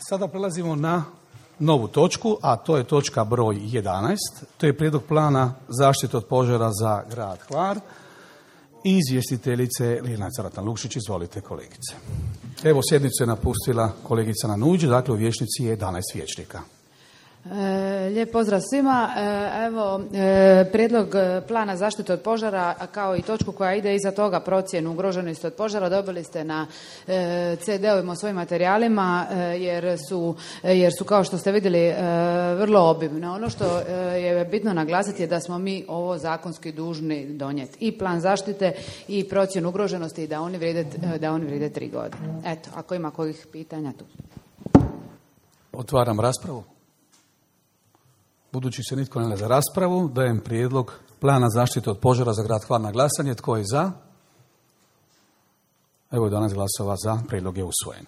Sada prelazimo na novu točku, a to je točka broj 11. To je prijedlog plana zaštite od požara za grad Hvar. Izvjestiteljice Ljiljana Caratan-Lukšić, izvolite kolegice. Evo, sjednicu je napustila kolegica Nanuđ, dakle u vijećnici je 11 vijećnika. Lijep pozdrav svima. Evo, prijedlog plana zaštite od požara, kao i točku koja ide iza toga, procjenu ugroženosti od požara, dobili ste na CD-ovima u svojim materijalima, jer su, kao što ste vidjeli, vrlo obimne. Ono što je bitno naglasiti je da smo mi ovo zakonski dužni donijeti. I plan zaštite i procjenu ugroženosti i da oni vrijede 3 godine. Eto, ako ima kojih pitanja tu. Otvaram raspravu. Budući se nitko ne javlja za raspravu, dajem prijedlog plana zaštite od požara za grad Hvar na glasanje. Tko je za? Evo, 11 glasova za, prijedlog je usvojen.